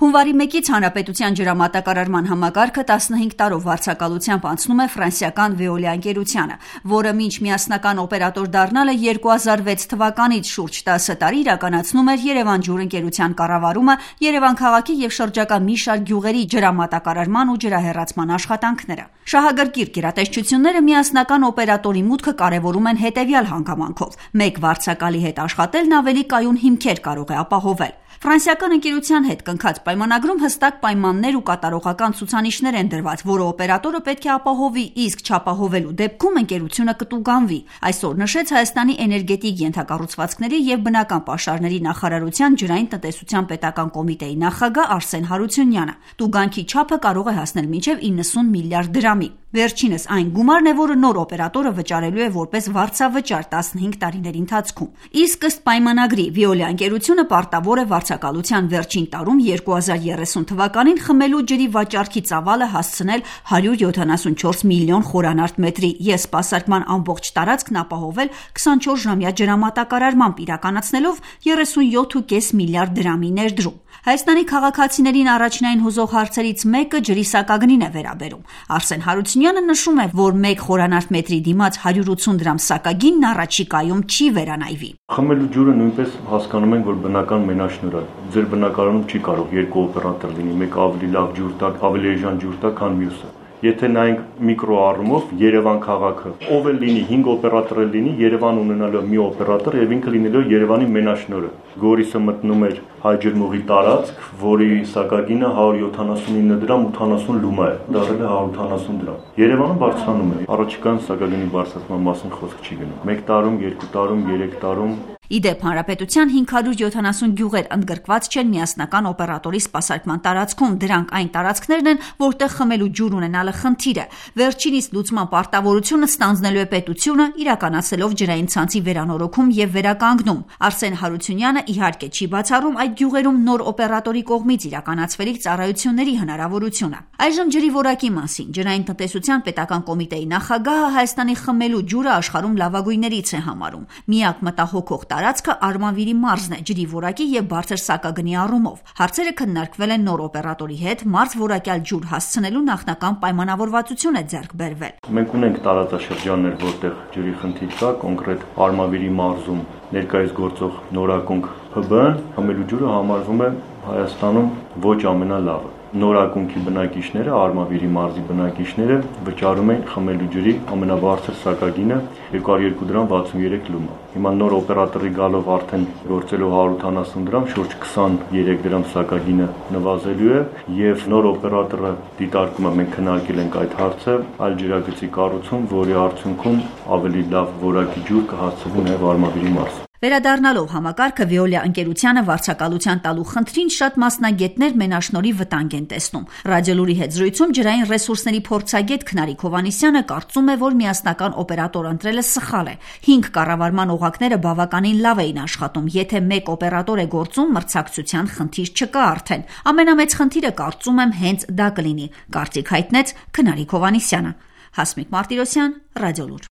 Հունվարի 1-ից Հանրապետության ջրամատակարարման համակարգը 15 տարով վարձակալությամբ անցնում է ֆրանսիական Veolia ընկերությանը, որը մինչ միասնական օպերատոր դառնալը 2006 թվականից շուրջ 10 տարի իրականացնում էր Երևան ջուր ընկերության կառավարումը, Երևան քաղաքի և շրջակա մի շարք գյուղերի ջրամատակարարման ու ջրահեռացման աշխատանքները։ Շահագրգիռ գերատեսչությունները միասնական օպերատորի մուտքը կարևորում են հետևյալ հանգամանքով. մեկ վարձակալի հետ աշխատելն ավելի կայուն հիմքեր կարող է ապահովել։ Ֆրանսիական ընկերության հետ կնքած պայմանագրում հստակ պայմաններ ու կատարողական ցուցանիշներ են դրված, որը օպերատորը պետք է ապահովի, իսկ չապահովելու դեպքում ընկերությունը կտուգանվի, այսօր նշեց Հայաստանի էներգետիկ ենթակառուցվածքների և բնական պաշարների նախարարության ջրային տնտեսության պետական կոմիտեի նախագահ Արսեն Հարությունյանը։ Տուգանքի չափը կարող է հասնել մինչև 90 միլիարդ դրամի։ Վերջինս այն գումարն է, որը նոր օպերատորը վճարելու է որպես վարձավճար 15 տարիների ընթացքում։ Իսկ ըստ պայմանագրի Veolia ընկերությունը պարտավոր է վարձակալության վերջին տարում 2030 թվականին խմելու ջրի վաճառքի ծավալը հասցնել 174 միլիոն խորանարդ մետրի և սպասարկման ամբողջ տարածքն ապահովել 24-ժամյա ջրամատակարարմամբ իրականացնելով 37.5 միլիարդ դրամի ներդրում։ Հայաստանի քաղաքացիներին առաջնային հուզող հարցերից մեկը ջրի սակագնին է վերաբերում։ Արսեն Հարությունյանը նշում է, որ 1 խորանարդ մետրի դիմաց 180 դրամ սակագինն առաջիկայում չի վերանայվի։ Խմելու ջուրը նույնպես հասկանում ենք, որ բնական մենաշնորհ է։ Ձեր բնակարանում չի կարող երկու օպերատոր լինի, մեկը ավելի լավ ջուր տա, ավելի էժան ջուր տա, քան մյուսը։ Եթե նայենք միկրո առումով Երևան քաղաքը, ով էլ լինի 5 օպերատոր էլ լինի, Երևան ունենալու մի օպերատոր եւ ինքը լինելով Երևանի մենաշնորհը։ Գորիսը մտնում էր Հայջրմուղի տարածք, որի սակագինը 179 դրամ 80 լումա է, դառել է 180 դրամ։ Երևանը բարձրանում է։ Առաջիկայում սակագինի բարձրացման մասին խոսք չի գնում։ 1 տարում, 2 տարում, 3 տարում Իդեպ հանրապետության 570 գյուղեր ընդգրկված չեն միասնական օպերատորի սպասարկման տարածքում, դրանք այն տարածքներն են, որտեղ խմելու ջուր ունենալը խնդիր է։ Վերջինիս լուծման պարտավորությունը ստանձնելու է պետությունը, իրականացնելով ջրային ցանցի վերանորոգում և վերականգնում։ Արսեն Հարությունյանը իհարկե չի բացառում այդ գյուղերում նոր օպերատորի կողմից իրականացվելիք ծառայությունների հնարավորությունը։ Այժմ ջրի որակի մասին ջրային տնտեսության պետական կոմիտեի նախագահը Հայաստանի խմելու ջուրը աշխարհում լավագույններից է համարում։ Միակ մտահոգող տարածքը Արմավիրի մարզն է ջրի որակի և բարձր սակագնի առումով։ Հարցերը քննարկվել են նոր օպերատորի հետ, մարզ որակյալ ջուր հասցնելու նախնական պայմանավորվածություն է ձեռք բերվել։ Մենք ունենք տարածաշրջաններ, որտեղ ջրի խնդիր կա, կոնկրետ Արմավիրի մարզում ներկայիս գործող նորակոնք ՓԲ-ն խմելու ջուրը համարվում է Հայաստանում ոչ ամենալավը։ Նորակոնքի բնակիչները, Արմավիրի մարզի բնակիչները վճարում են խմելու ջրի ամենաբարձր սակագինը 202 դրամ 63 լումա։ Հիմա նոր օպերատորի գալով արդեն գործելով 180 դրամ, շուրջ 23 դրամ սակագինը նվազելու է եւ նոր օպերատորը դիտարկում է, մենք քննարկել ենք այդ հարցը, այլ ջրագծի կառուցում, որի արդյունքում ավելի լավ որակի ջուր կհասցվի նաեւ Արմավիրի մարզ։ Վերադառնալով համակարգը Veolia ընկերությանը վարձակալության տալու խնդրին շատ մասնագետներ մենաշնորհի վտանգ են տեսնում։ Ռադիոլուրի հետ զրույցում ջրային ռեսուրսների փորձագետ Քնարիկ Հովհաննիսյանը կարծում է, որ միասնական օպերատոր ընտրելը սխալ է։ 5 կառավարման օղակները բավականին լավ էին աշխատում, եթե մեկ օպերատոր է գործում, մրցակցության խնդիր չկա արդեն։ Ամենամեծ խնդիրը կարծում եմ հենց դա կլինի, կարծիք հայտնեց Քնարիկ Հովհաննիսյանը։ Հասմիկ Մարտիրոսյան, Ռադիոլուր։